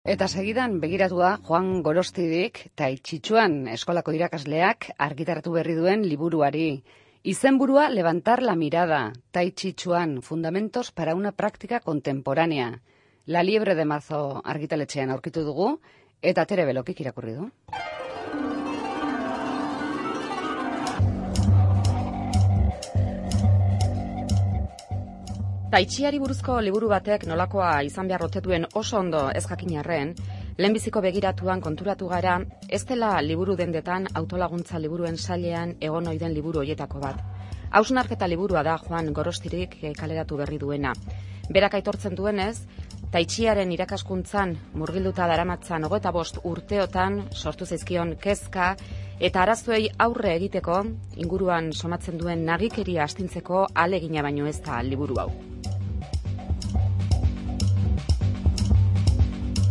Eta segidan begiratua Juan Gorostidik Tai Chi Chuan eskolako irakasleak argitaratu berri duen liburuari. Izenburua Levantar la mirada, Tai Chi Chuan, fundamentos para una práctica contemporánea. La Liebre de Marzo argitaletxean aurkitu dugu, eta Tere Belokik irakurri du. Tai Chiari buruzko liburu batek nolakoa izan behar ote duen oso ondo ez jakin arren, lehenbiziko begiratuan konturatu gara, ez dela liburu dendetan autolaguntza liburuen sailean egon ohi den liburu hoietako bat. Hausnarketa liburua da Juan Gorostidik kaleratu berri duena. Berak aitortzen duenez, Tai Chiaren irakaskuntzan murgilduta daramatzan 25 urteotan sortu zaizkion kezka eta arazoei aurre egiteko inguruan somatzen duen nagikeria astintzeko ahalegina baino ez da liburu hau.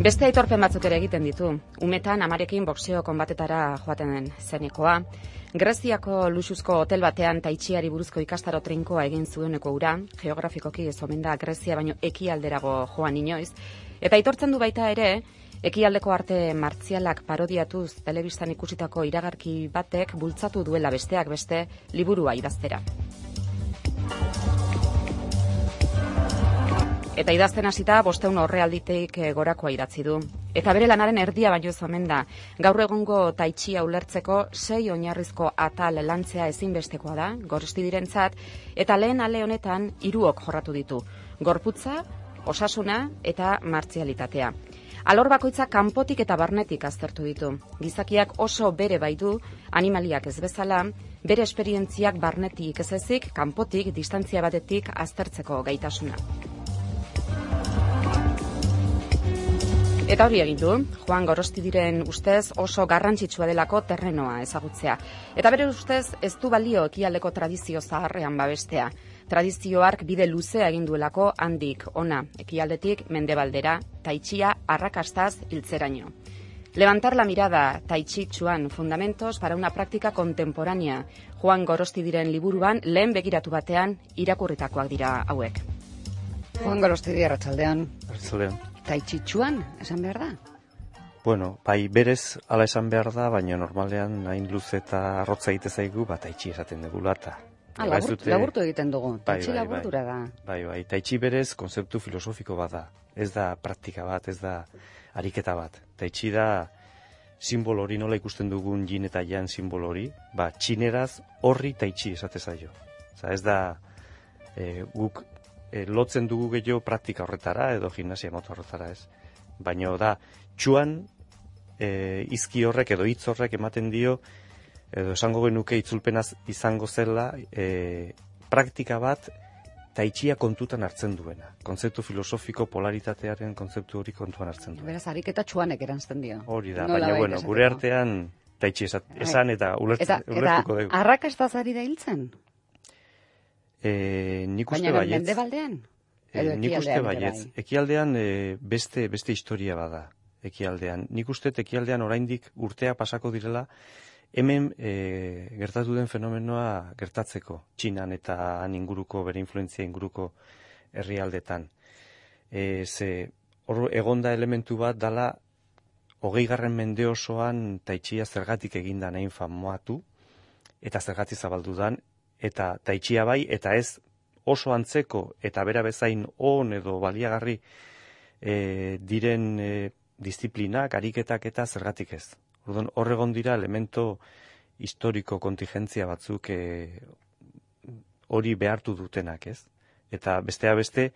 Beste aitorpen batzuk ere egiten ditu. Umetan amarekin boxeo konbatetara joaten zenekoa. Greziako luxuzko hotel batean Tai Chiari buruzko ikastaro trinkoa egin zueneko ura, geografikoki ez omen da Grezia baino ekialderago joan inoiz, eta aitortzen du baita ere, ekialdeko arte martzialak parodiatuz telebistan ikusitako iragarki batek bultzatu duela besteak beste liburua idaztera. Eta idazten hasita 500 orrialditik gorakoa idatzi du. Eta bere lanaren erdia baino ez omen da. Gaur egungo Tai Chia ulertzeko 6 oinarrizko atal lantzea ezinbestekoa da, Gorostidirentzat, eta lehen ale honetan 3 jorratu ditu. Gorputza, osasuna eta martzialitatea. Alor bakoitza kanpotik eta barnetik aztertu ditu. Gizakiak oso bere baitu, animaliak ez bezala, bere esperientziak barnetik ez ezik, kanpotik, distantzia batetik aztertzeko gaitasuna. Eta hori egin du, Juan Gorostidiren ustez oso garrantzitsua delako terrenoa ezagutzea. Eta bere ustez ez du balio ekialdeko tradizio zaharrean babestea. Tradizio hark bide luzea egin duelako handik ona, ekialdetik mendebaldera, Tai Chia arrakastaz hiltzeraino. Levantar la mirada, Tai Chi Chuan, fundamentos para una práctica contemporánea. Juan Gorostidiren liburuan lehen begiratu batean irakurritakoak dira hauek. Juan Gorostidi, arratsaldean. Arratsaldean. Tai Chi Chuan, esan behar da? Bueno, bai berez ala esan behar da, baina normalean hain luze eta arrotza egite zaigu, Tai Chi esaten dugula eta. Laburtu egiten dugu, Tai Chi laburtura da. Bai, Tai Chi berez konzeptu filosofiko bat da. Ez da praktika bat, ez da ariketa bat. Tai Chi da simbolo hori, nola ikusten dugun yin eta yang simbolo hori, txineraz horri Tai Chi esate zaio. Ez da guk lotzen dugu gehiago praktika horretara edo gimnasia mota horretara ez. Baina da, txuan izki horrek edo hitz horrek ematen dio, edo esango genuke itzulpenaz izango zela, praktika bat Tai Chia kontutan hartzen duena. Kontzeptu filosofiko polaritatearen kontzeptu hori kontuan hartzen duena. Beraz, ariketa txuanek erantzten dio. Hori da, baina bueno, gure artean Tai Chi esan eta ulertuko dugu. Eta arrakastaz ari da hiltzen? Nik uste baina baietz. mendebaldean? Nik uste baietz. Ekialdean beste historia bada. Ekialdean. Nik uste ekialdean oraindik urtea pasako direla hemen gertatu den fenomenoa gertatzeko. Txinan eta han inguruko, bere influentzia inguruko herrialdetan. Hor egonda elementu bat dala 20. mende osoan Tai Chia zergatik eginda nahin famoatu eta zergatik zabaldu dan, eta Tai Chia bai, eta ez oso antzeko eta bera bezain on edo baliagarri diren disiplinak, ariketak eta zergatik ez. Hor egon dira elemento historiko kontingentzia batzuk hori behartu dutenak, ez? Eta bestea beste,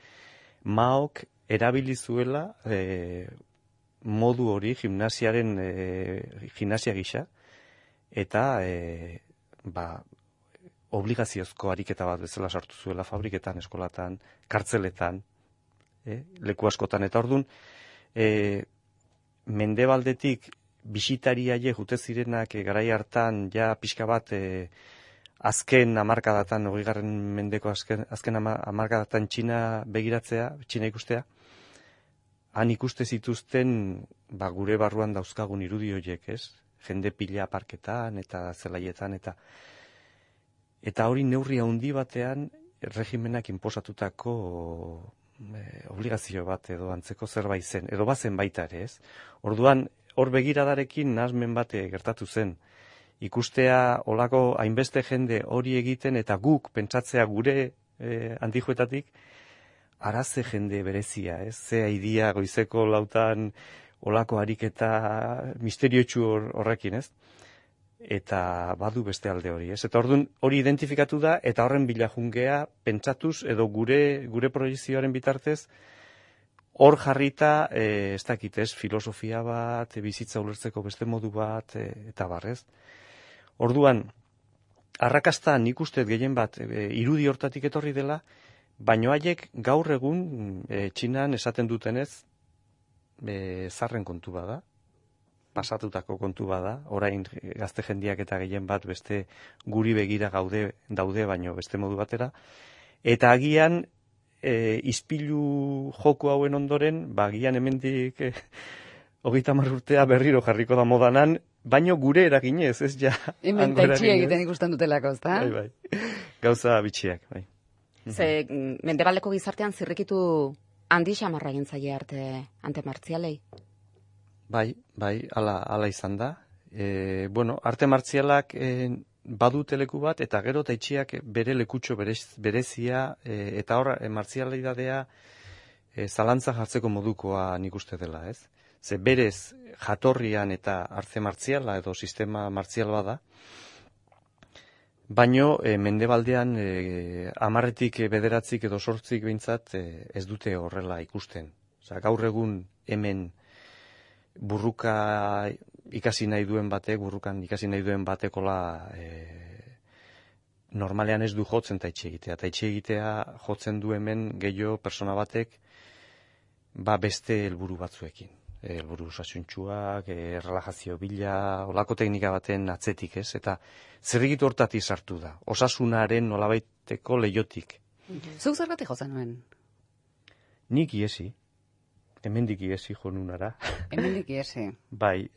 Maok erabili zuela modu hori gimnasia gisa, eta obligaziozko ariketa bat bezala sartu zuela fabriketan, eskolatan, kartzeletan, leku askotan. Eta orduan, mendebaldetik bisitariaie jute zirenak garai hartan ja pixka bat azken hamarkadatan, 20. mendeko azken hamarkadatan Txina begiratzea, Txina ikustea, han ikuste zituzten gure barruan dauzkagun irudi horiek, ez? Jende pila parketan eta zelaietan eta hori neurri handi batean regimenak inposatutako obligazio bat edo antzeko zerbait zen, edo bazen baita ere, ez? Orduan, hor begiradarekin nahasmen bat gertatu zen. Ikustea olako hainbeste jende hori egiten eta guk pentsatzea gure antijuetatik, araze jende berezia, ez? Ze aidia goizeko lautan olako ariketa misteriotsu horrekin, ez? Eta badu beste alde hori, ez? Eta orduan hori identifikatu da eta horren bila jungea pentsatuz edo gure proiezioaren bitartez hor jarrita, ez dakit, ez? Filosofia bat, bizitza ulertzeko beste modu bat, eta barrez. Orduan, arrakasta nik uste gehien bat irudi hortatik etorri dela, baino haiek gaur egun Txinan esaten dutenez zarren kontu bada, pasatutako kontu bada, orain gazte jendiak eta gehien bat beste guri begira daude baino beste modu batera, eta agian ispilu joko hauen ondoren, agian hemendik 30 urtea berriro jarriko da modanan, baino gure eraginez, ez ja. Hemen taitxia egiten ikusten dutelako, ezta? Bai. Gauza bitxiak, bai. Ze mendebaldeko gizartean zirrikitu handi xamarra egin zaie arte martzialei? Bai, ala izan da. Arte martzialak badute leku bat, eta gero taitxiak bere lekutxo berezia, eta hor martzialidadea zalantza jartzeko modukoa nik uste dela, ez? Ze berez jatorrian eta arte martziala edo sistema martzial bada, baino mendebaldean 10-tik 9 edo 8 behintzat ez dute horrela ikusten. Osea, gaur egun hemen burrukan ikasi nahi duen batekola normalean ez du jotzen taitxi egitea. Taitxi egitea jotzen du hemen gehiago persona batek beste helburu batzuekin. Helburu osasuntsuak, relajazio bila, olako teknika baten atzetik, ez? Eta zerrikitu hortatik sartu da. Osasunaren nolabaiteko leiotik. Zuk zergatik jotzen nuen? Nik iesi. Hemendik iesi jonunara. Hemendik iesi. Bai,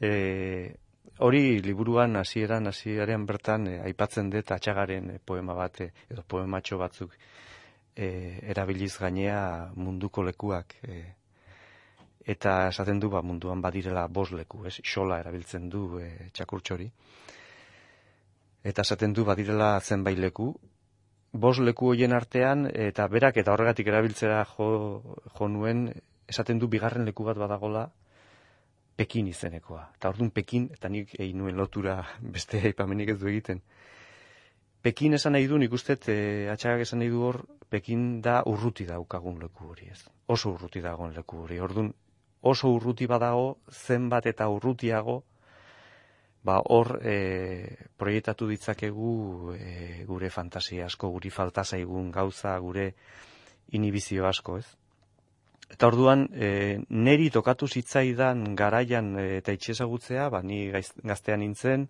hori liburuan hasieran bertan aipatzen dut Atxagaren poema bat, edo poematxo batzuk erabiliz gainea munduko lekuak, eta esaten du munduan badirela 5 leku, ez? Xola erabiltzen du txakurtxori. Eta esaten du badirela zenbait leku, 5 leku hoien artean, eta berak eta horregatik erabiltzera jo nuen, esaten du bigarren leku bat badagola Pekin izenekoa. Eta orduan Pekin, eta nik egin nuen lotura beste aipamenik ez du egiten. Pekin esan nahi du, nik ustet, Atxagak esan nahi du hor, Pekin da urruti daukagun leku hori, ez? Oso urruti dagoen leku hori. Orduan, oso urruti badago, zenbat eta urrutiago, hor proiektatu ditzakegu gure fantasia asko, guri falta zaigun gauza, gure inhibizio asko, ez? Eta orduan, neri tokatu zitzaidan garaian eta itxezagutzea, ni gaztean nintzen,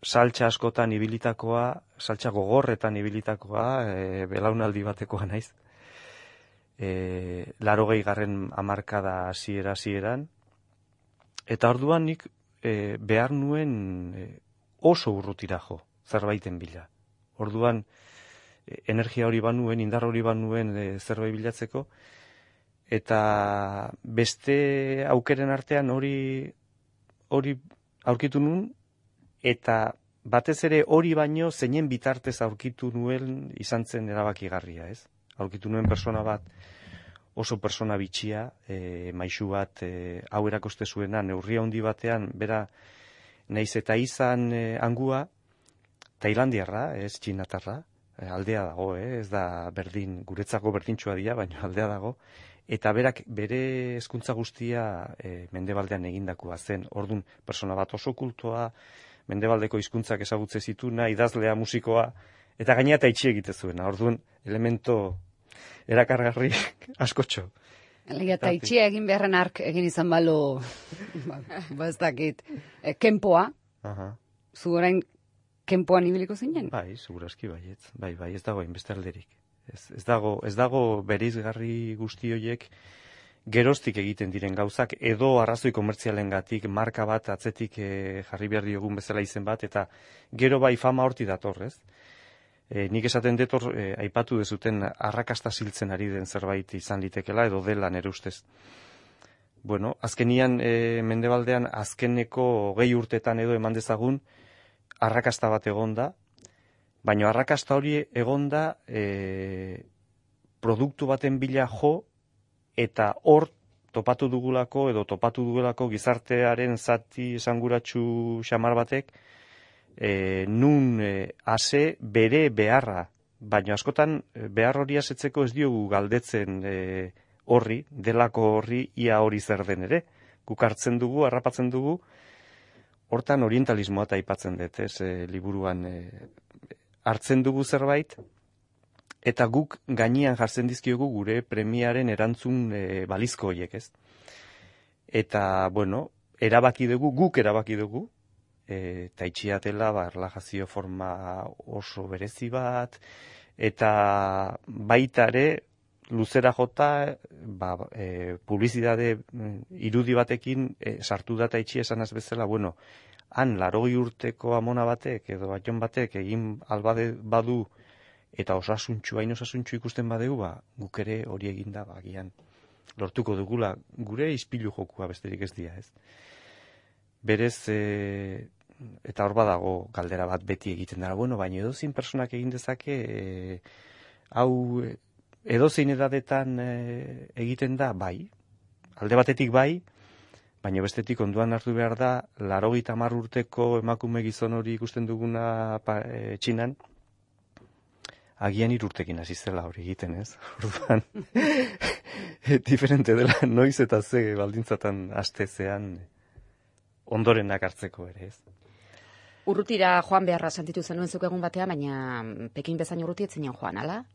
saltsa askotan ibilitakoa, saltsa gogorretan ibilitakoa, belaunaldi batekoa naiz. 80. hamarkada hasieran, eta orduan nik behar nuen oso urrutira jo, zerbaiten bila. Orduan, energia hori banuen, indar hori banuen zerbait bilatzeko, eta beste aukeren artean hori aurkitu nuen, eta batez ere hori baino zeinen bitartez aurkitu nuen izan zen erabakigarria, ez? Aurkitu nuen persona bat, oso persona bitxia, maixu bat, hau erakoste zuena, neurria handi batean, bera, naiz eta izan angua, tailandiarra, ez txinatarra, aldea dago, ez da berdin, guretzako berdintxua dira, baina aldea dago, eta berak bere hezkuntza guztia mendebaldean egindakoa zen, ordun persona bat oso kultoa, mendebaldeko hizkuntzak ezagutze zituna, idazlea, musikoa, eta gainera taitxi egite zuena, orduan elemento erakargarri askotxo. Elia, taitxia egin beharren ark egin izan balu, ez dakit, kenpoa, zu orain kenpoan ibiliko zinen? Bai, segurazki baietz, bai, ez dago hainbeste alderik. Ez dago bereizgarri guzti horiek geroztik egiten diren gauzak, edo arrazoi komertzialengatik marka bat atzetik jarri behar diogun bezala izen bat, eta gero bai fama horti datorrez. nik esaten dut aipatu dezuten arrakasta ziltzen ari den zerbait izan litekela edo dela nere ustez. Bueno, azkenian Mendebaldean azkeneko 20 urtetan edo eman dezagun arrakasta bat egonda, baina arrakasta hori egonda produktu baten bila jo eta hor topatu dugelako gizartearen zati esanguratsu xamar batek nun ase bere beharra, baina askotan behar hori asetzeko ez diogu galdetzen horri, delako horri ia hori zer den ere. Guk hartzen dugu, harrapatzen dugu, hortan orientalismoa eta aipatzen dut, liburuan hartzen dugu zerbait, eta guk gainean jartzen dizkiogu gure premiaren erantzun balizko horiek, ez? Eta, bueno, guk erabaki dugu, eta itxiatela, erlajazio forma oso berezi bat, eta baita ere, luzera jota, publizitate irudi batekin sartu data itxi esanaz bezala, bueno, han 80 urteko amona batek edo baton batek egin albade badu eta hain osasuntxu ikusten badegu, guk ere hori eginda bagian lortuko dugula gure ispilu jokua besterik ez dira, ez? Berez, eta hor badago galdera bat beti egiten dara, bueno, baina edozein personak egin dezake, hau edozein edadetan egiten da, bai, alde batetik bai, baina bestetik onduan hartu behar da, 80 urteko emakume gizon hori ikusten duguna Txinan, agian 3 urtekin hasi zela hori egiten, ez? Orduan, diferente dela noiz eta ze baldintzatan astezean ondorenak hartzeko ere, ez? Urrutira joan beharra sentitu zenuen zuk egun batean, baina Pekin bezain urruti ez zinen joan, ala?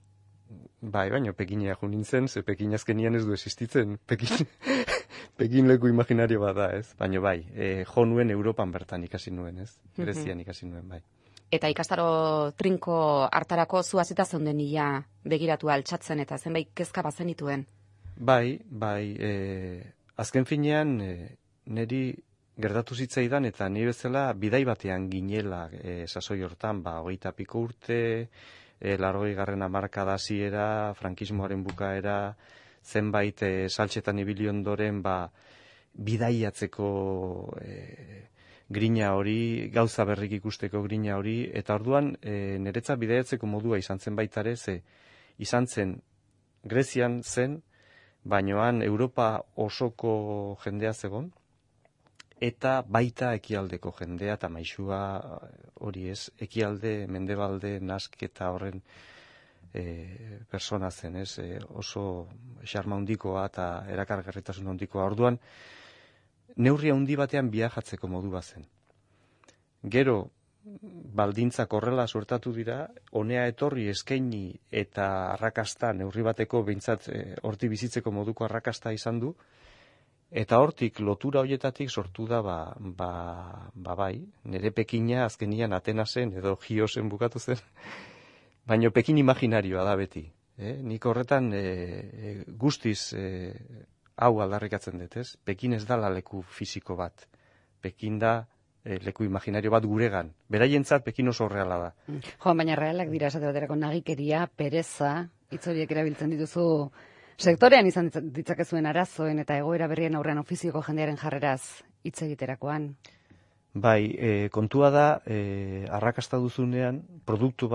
Bai, baina Pekinea jo nintzen, ze Pekin azkenian ez du existitzen. Pekin leku imaginario bat da, ez? Baina bai, jo nuen Europan bertan ikasi nuen, ez? Grezian ikasi nuen, bai. Eta ikastaro trinko hartarako zu hasita zeunden ia begiratu altxatzen eta zenbait kezka bazenituen. Bai, azken finean niri gertatu zitzaidan eta ni bezala bidai batean ginela sasoi hortan, 20 piko urte, 80. hamarkada hasiera, frankismoaren bukaera, zenbait saltxetan ibili ondoren bidaiatzeko grina hori, gauza berrik ikusteko grina hori, eta orduan niretzat bidaiatzeko modua izan zen baita ere, izan zen Grezian zen, bainoan Europa osoko jendea zegon, eta baita ekialdeko jendea eta maisua hori ez, ekialde, mendebalde, nasketa horren persona zen, ez, oso xarma handikoa eta erakargarritasun handikoa. Orduan, neurria handi batean viajatzeko modu bazen. Gero, baldintzak horrela suertatu dira, honea etorri eskaini eta arrakasta neurri bateko behintzat horti bizitzeko moduko arrakasta izan du, eta hortik lotura hoietatik sortu da bai, nire Pekina azkenian Atenasen edo Giosen bukatu zen, baina Pekin imaginarioa da beti. Nik horretan guztiz hau aldarrikatzen dut, ez? Pekin ez dala leku fisiko bat. Pekin da leku imaginario bat guregan. Beraientzat Pekin oso reala da. Jo, baina realak dira esate baterako nagikeria, pereza, hitz horiek erabiltzen dituzu sektorean izan ditzakezuen arazoen eta egoera berrien aurrean ofizioko jendearen jarreraz hitz egiterakoan. Bai, kontua da, arrakasta duzunean, produktu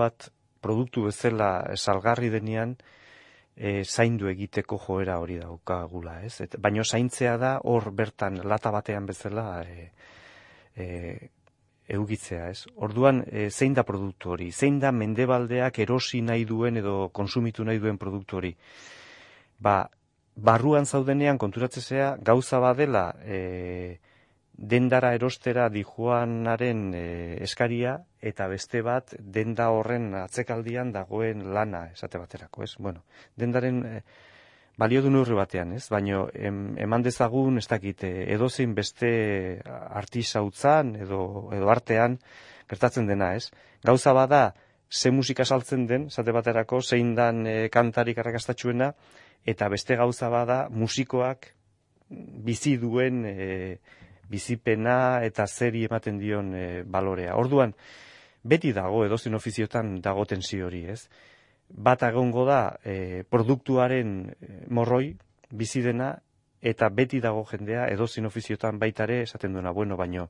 bezala salgarri denean, zaindu egiteko joera hori daukagula, ez? Baina zaintzea da hor bertan lata batean bezala eugitzea, ez? Orduan, zein da produktu hori? Zein da mendebaldeak erosi nahi duen edo konsumitu nahi duen produktu hori? Barruan zaudenean konturatzea gauza badela dendara erostera dijoanaren eskaria eta beste bat denda horren atzekaldian dagoen lana esate baterako, ez? Bueno, dendaren balio du neurri batean, ez? Baina eman dezagun, ez dakit, edozein beste artisautzan edo artean gertatzen dena, ez? Gauza bada ze musika saltzen den, esate baterako, zein dan kantarik arrakastatxuena, eta beste gauza bada musikoak bizi duen bizipena eta zeri ematen dion balorea. Orduan, beti dago, edozein ofiziotan dago tensio hori, ez? Bat egongo da produktuaren morroi, bizi dena, eta beti dago jendea, edozein ofiziotan baitare esaten duena, bueno, baino,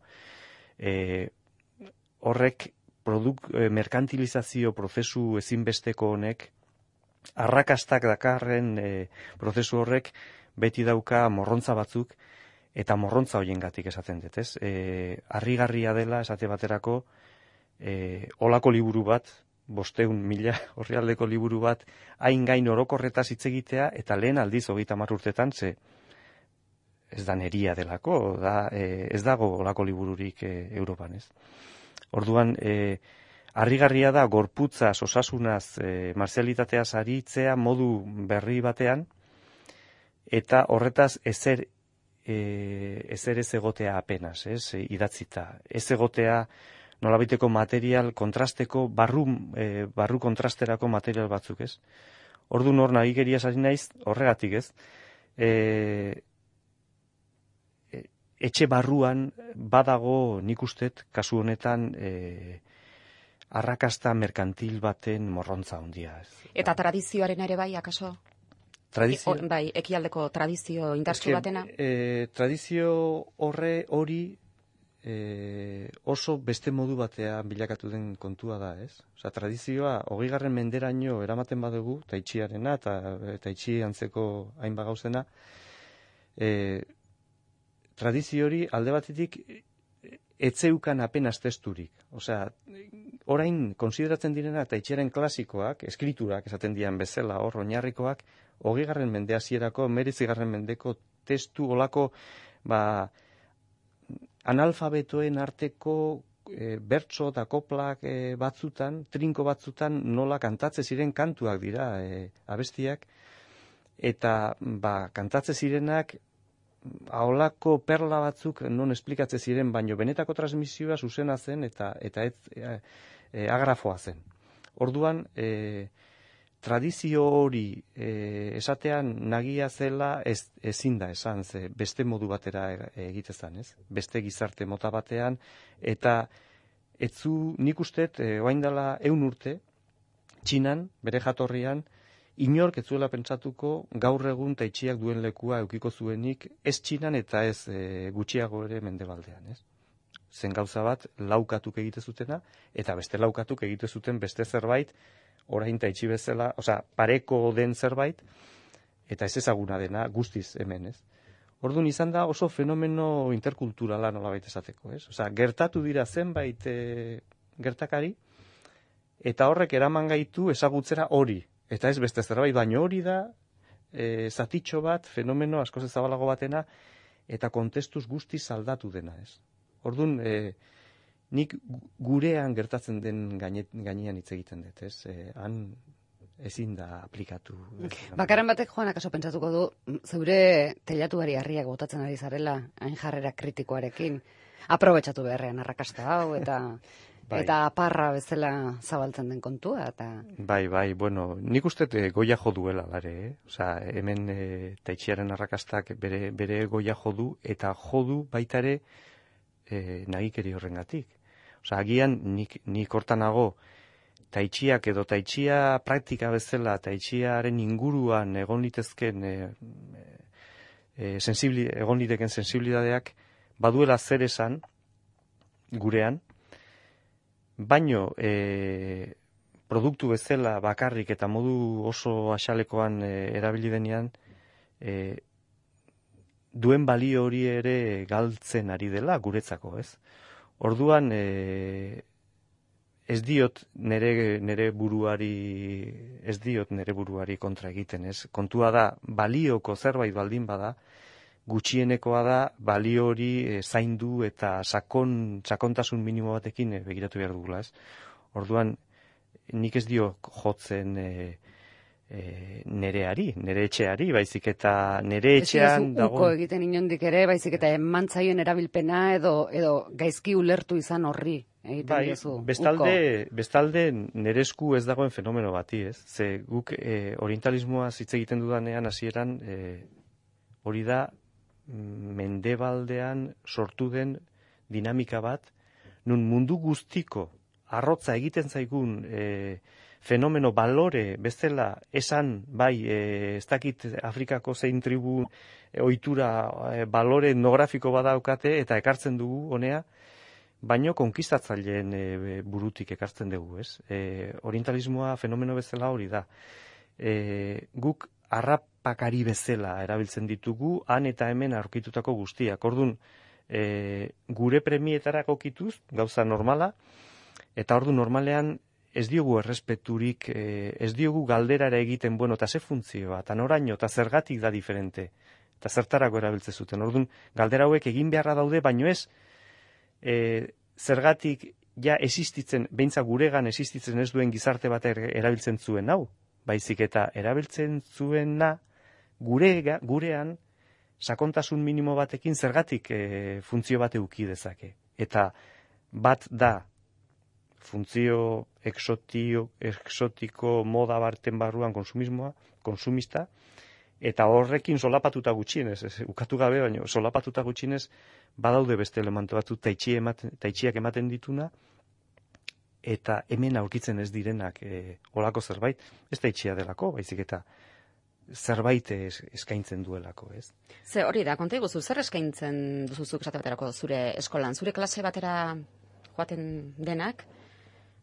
horrek merkantilizazio prozesu ezinbesteko honek, arrakastak dakarren prozesu horrek beti dauka morrontza batzuk, eta morrontza hoiengatik esaten dut, ez? Harrigarria dela esate baterako olako liburu bat, 500.000 orrialdeko liburu bat, hain gain orokorretaz hitz egitea, eta lehen aldiz 30 urtetan, ze ez da neria delako, ez dago olako libururik Europan, ez? Orduan, harrigarria da gorputzaz, osasunaz, marzialitateaz aritzea modu berri batean, eta horretaz ezer ez egotea apenas, ez, idatzita. Ez egotea nolabiteko material kontrasteko, barru kontrasterako material batzuk, ez. Orduan hor nagikeriaz ari naiz, horregatik, ez. Etxe barruan badago nik ustet, kasu honetan, arrakasta merkantil baten morrontza handia, ez. Eta tradizioaren ere bai, akaso? Bai, ekialdeko tradizio indartsu batena? Tradizio hori oso beste modu batean bilakatu den kontua da, ez? Osa, tradizioa 20. menderaino eramaten badugu, taitxiarena eta taitxi antzeko hainbat gauzena, tradizio hori alde batetik etzeukan apenas testurik. Osea, orain konsideratzen direna taitxiaren klasikoak, eskriturak esaten dian bezala, hor oinarrikoak, 20. mende hasierako, 19. mendeko testu olako, analfabetoen arteko bertso eta koplak batzutan, trinko batzutan nola kantatze ziren kantuak dira abestiak, eta kantatze zirenak aholako perla batzuk non esplikatze ziren, baino benetako transmisioa zuzena zen eta agrafoa zen. Orduan, tradizio hori esatean nagia zela ezin da esan, ze beste modu batera egitezan, ez? Beste gizarte mota batean, eta nik ustet, orain dela 100 urte, Txinan, bere jatorrian, inork ez zuela pentsatuko gaur egun taitxiak duen lekua eukiko zuenik, ez Txinan eta ez gutxiago ere mendebaldean, ez? Zen gauza bat, laukatuk egite zutena, eta beste laukatuk egite zuten beste zerbait, orain taitxi bezala, pareko den zerbait, eta ez ezaguna dena guztiz hemen, ez? Orduan izan da oso fenomeno interkulturala nolabait esateko, ez? Gertatu dira zenbait gertakari, eta horrek eraman gaitu ezagutzera hori, eta ez beste zerbait, baina hori da zatitxo bat, fenomeno askoz ezabalago batena, eta kontestuz guztiz aldatu dena, ez? Orduan, nik gurean gertatzen den gainean hitz egiten dut, ez? Han ezin da aplikatu. Bakaran batek joan akaso pentsatuko du, zeure teilatuari harriak botatzen ari zarela, hain jarrera kritikoarekin, aprobetxatu beharrean arrakasta hau, eta aparra bezala zabaltzen den kontua. Bai, bueno, nik uste goia jo duela, lare, hemen taitxiaren arrakastak bere goia jo du, eta jo du baitare nagikeri horrengatik. Agian nik hortanago taitxiak edo taitxia praktika bezala, taitxiaren inguruan egon litezken egon liteken sensibilidadeak baduela zer esan gurean, baino produktu bezala bakarrik eta modu oso asalekoan erabili denean duen balio hori ere galtzen ari dela guretzako, ez? Orduan ez diot nere buruari kontra egiten, ez? Kontua da balioko zerbait baldin bada, gutxienekoa da balio hori zaindu eta sakontasun minimo batekin begiratu behar dugula, ez? Orduan nik ez dio jotzen nere etxeari, baizik eta nere etxean dago. Uko egiten inondik ere, baizik eta emantzaien erabilpena edo gaizki ulertu izan horri egiten diozu. Bestalde nere esku ez dagoen fenomeno bati, ez? Ze guk orientalismoa hitz egiten dudanean hasieran hori da mendebaldean sortu den dinamika bat, nun mundu guztiko arrotza egiten zaigun fenomeno balore bezala esan, bai, ez dakit Afrikako zein tribu ohitura balore etnografiko badaukate eta ekartzen dugu honea, baino konkistatzaileen burutik ekartzen dugu, ez? Orientalismoa fenomeno bezala hori da. Guk harrapakari bezala erabiltzen ditugu, han eta hemen aurkitutako guztiak. Ordun, gure premietara kokituz, gauza normala, eta ordu normalean ez diogu errespeturik, ez diogu galderara egiten, bueno, eta ze funtzioa, eta noraino, eta zergatik da diferente, eta zertarako erabiltzen zuten. Orduan, galdera hauek egin beharra daude, baino ez, zergatik ja existitzen, beintza guregan existitzen ez duen gizarte bat erabiltzen zuen hau, baizik eta erabiltzen zuena gurean sakontasun minimo batekin zergatik funtzio bat eduki dezake. Eta bat da funtzio exotiko moda barten barruan konsumista, eta horrekin solapatuta gutxienez, ukatu gabe, baina solapatuta gutxienez, badaude beste elementu batzu taitxiak ematen dituna, eta hemen aurkitzen ez direnak olako zerbait, ez taitxia delako, baizik eta zerbait eskaintzen duelako, ez? Ze hori da, konta iguzu, zer eskaintzen duzuzuk esate baterako zure eskolan, zure klase batera joaten denak,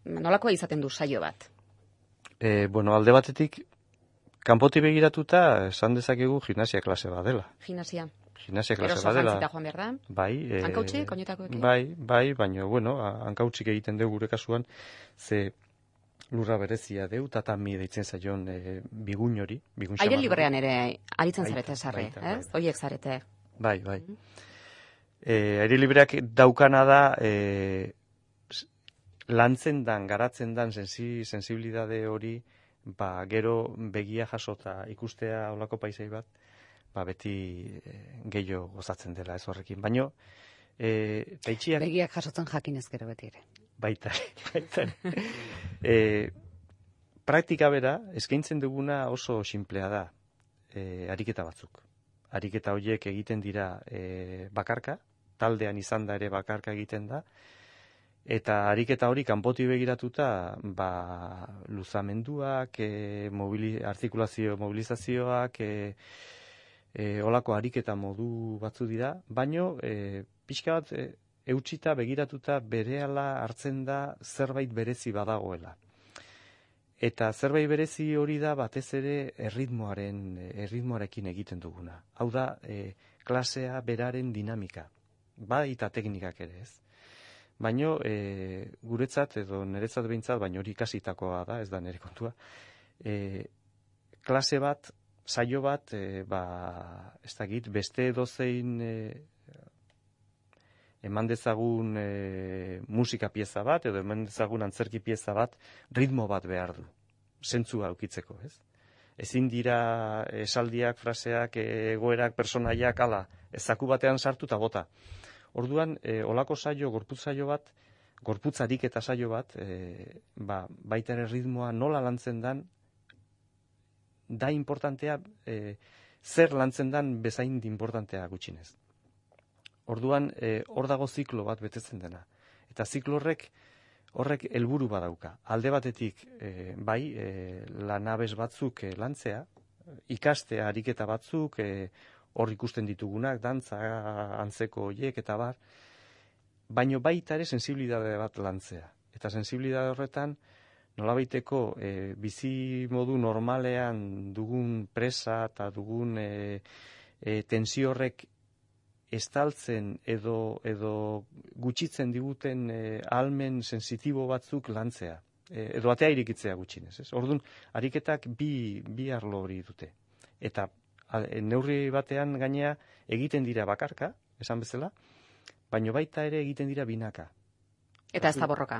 nolakoa izaten du saio bat? Bueno, alde batetik, kanpoti begiratuta, esan dezakegu gimnasia klase bat dela. Gimnasia Klase Eroso bat dela. jantzita joan behar da? Bai. Hankautxik, oinetakoekin? Bai, baina, bueno, hankautsik egiten dugu gure kasuan, ze lurra berezia deu, tatami deitzen zaion bigun hori. Aire librean ere aritzen zarete sarri, ez? Horiek zarete. Bai. Aire libreak daukana da, lantzen dan, garatzen dan sensibilidade hori, gero begia jasota ikustea olako paisai bat, beti gehiago gozatzen dela ez horrekin. Baina, taitxiak... Begiak jasotzen jakinez gero beti ere. Baita. Praktika bera, eskaintzen duguna oso sinplea da, ariketa batzuk. Ariketa horiek egiten dira bakarka, taldean izan da ere bakarka egiten da, eta ariketa hori kanpoti begiratuta, luzamenduak, mobilizazioak, olako ariketa modu batzu dira, baino pixka bat eutsita begiratuta berehala hartzen da zerbait berezi badagoela. Eta zerbait berezi hori da batez ere erritmoarekin egiten duguna. Hau da, klasea beraren dinamika, eta teknikak ere ez. Baino, guretzat edo niretzat behintzat, baino hori ikasitakoa da, ez da nire kontua, klase bat, saio bat, ez dakit, beste dozein eman dezagun musika pieza bat, edo eman dezagun antzerki pieza bat, ritmo bat behar du, zentzua aukitzeko, ez? Ezin dira esaldiak, fraseak, egoerak, personaiak, zaku batean sartu eta bota. Orduan, olako saio, gorputz saio bat, gorputzarik eta saio bat, baita ere ritmoa nola lantzen dan, da importantea, zer lantzen dan bezain importantea gutxinez. Orduan, hor dago ziklo bat betetzen dena. Eta ziklo horrek helburu badauka. Alde batetik, lanabes batzuk lantzea, ikastea ariketa batzuk, hor ikusten ditugunak, dantza, antzeko horiek eta bar, baino baita ere sensibilidade bat lantzea. Eta sensibilidade horretan, nolabaiteko bizi modu normalean dugun presa eta dugun tensio horrek estaltzen edo gutxitzen diguten ahalmen sensitibo batzuk lantzea. Edo atea irikitzea gutxinez. Orduan, ariketak bi arlo hori dute. Eta neurri batean gainea egiten dira bakarka, esan bezala, baino baita ere egiten dira binaka. Eta ez da borroka.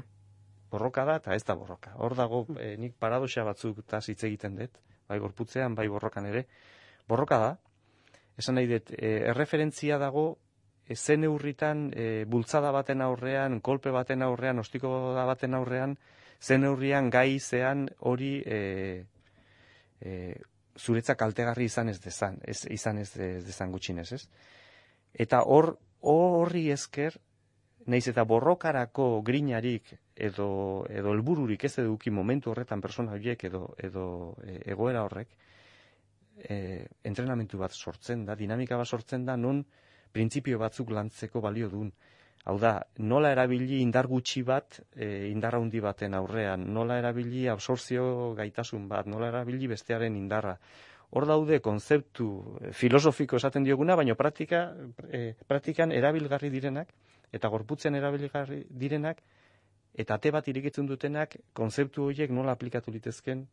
Borroka da eta ez da borroka. Hor dago nik paradoxa batzuk eta hitz egiten dut, bai gorputzean, bai borrokan ere. Borroka da, esan nahi dut, erreferentzia dago zen neurritan bultzada baten aurrean, kolpe baten aurrean, ostiko baten aurrean, zen neurrian gai zean hori zuretzak kaltegarri izan ez dezan gutxinez, ez? Eta horri esker naiz eta borrokarako grinarik edo helbururik ez eduki momentu horretan persona horiek edo egoera horrek, entrenamentu bat sortzen da, dinamika bat sortzen da, non printzipio batzuk lantzeko balio duen. Hau da, nola erabili indar gutxi bat indar handi baten aurrean, nola erabili absortzio gaitasun bat, nola erabili bestearen indarra. Hor daude konzeptu filosofiko esaten dioguna, baina praktikan erabilgarri direnak, eta gorputzen erabilgarri direnak, eta ate bat irekitzen dutenak, konzeptu horiek nola aplikatu litezken,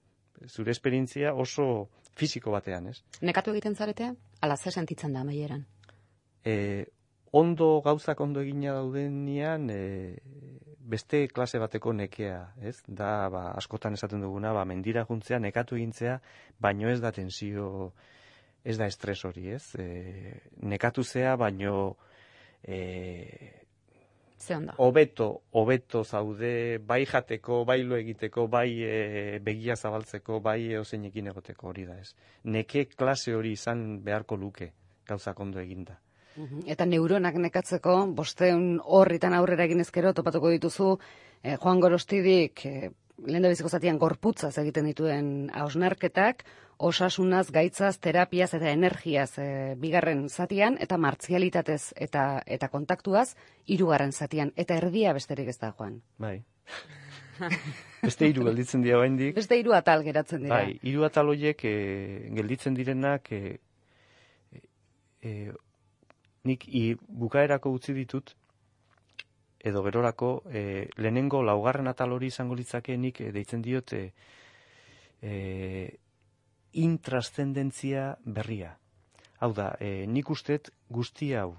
zure esperientzia oso fisiko batean, ez? Nekatu egiten zarete, ala ze sentitzen da amaieran? Gauzak ondo egina daudenean, beste klase bateko nekea, ez? Da, askotan esaten duguna, mendira juntzea, nekatu egintzea, baino ez da tensio, ez da estres hori, ez? Nekatu zea, baino hobeto zaude, bai jateko, bai lo egiteko, bai begia zabaltzeko, bai eozeinekin egoteko hori da, ez? Neke klase hori izan beharko luke, gauzak ondo eginda. Eta neuronak nekatzeko, 500 horritan aurrera egin ezkero, topatuko dituzu, Juan Gorostidik, lehendabiziko zatian gorputzaz egiten dituen hausnarketak, osasunaz, gaitzaz, terapiaz eta energiaz bigarren zatian, eta martzialitatez eta kontaktuaz, 3. zatian, eta erdia besterik ez da, Juan. Bai. Beste 3 gelditzen dira oraindik. Beste 3 atal geratzen dira. Bai, 3 atal horiek gelditzen direnak nik bukaerako utzi ditut, edo gerorako, lehenengo 4. atal hori izango litzake nik deitzen diot intrascendentzia berria. Hau da, nik ustet guzti hau,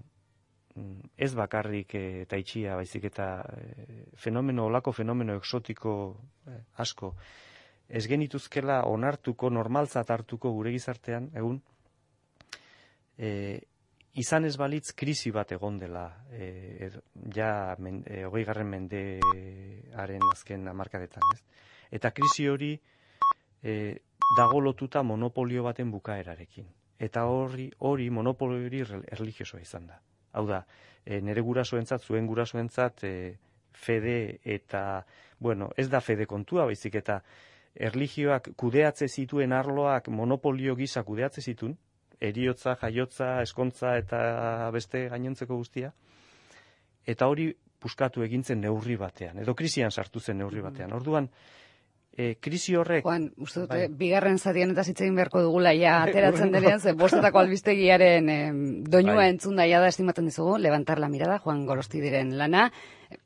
ez bakarrik taitxia, baizik eta olako fenomeno exotiko asko, ez genituzkela onartuko, normaltzat hartuko gure gizartean, egun, izan ez balitz krisi bat egon dela, 20. mendearen azken hamarkadetan, ez? Eta krisi hori dago lotuta monopolio baten bukaerarekin. Eta hori monopolio hori erlijiosoa izan da. Hau da, nire gurasoentzat, zuen gurasoentzat, fede eta, ez da fede kontua, baizik eta erlijioak kudeatze zituen arloak monopolio gisa kudeatze zituen, eriotza, jaiotza, eskontza eta beste gainontzeko guztia, eta hori puskatu egintzen neurri batean, edo krisian sartu zen neurri batean. Orduan, krisi horrek... Juan, uste dute, bigarren zatian eta zitzein beharko dugula, ateratzen denean, ze bostetako albistegiaren doinua entzun daia da estimatzen dizugu, levantar la mirada, Juan Gorostidiren lana,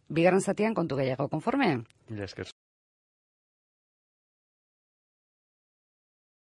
bigarren zatian kontu gehiago, konforme? Mila esker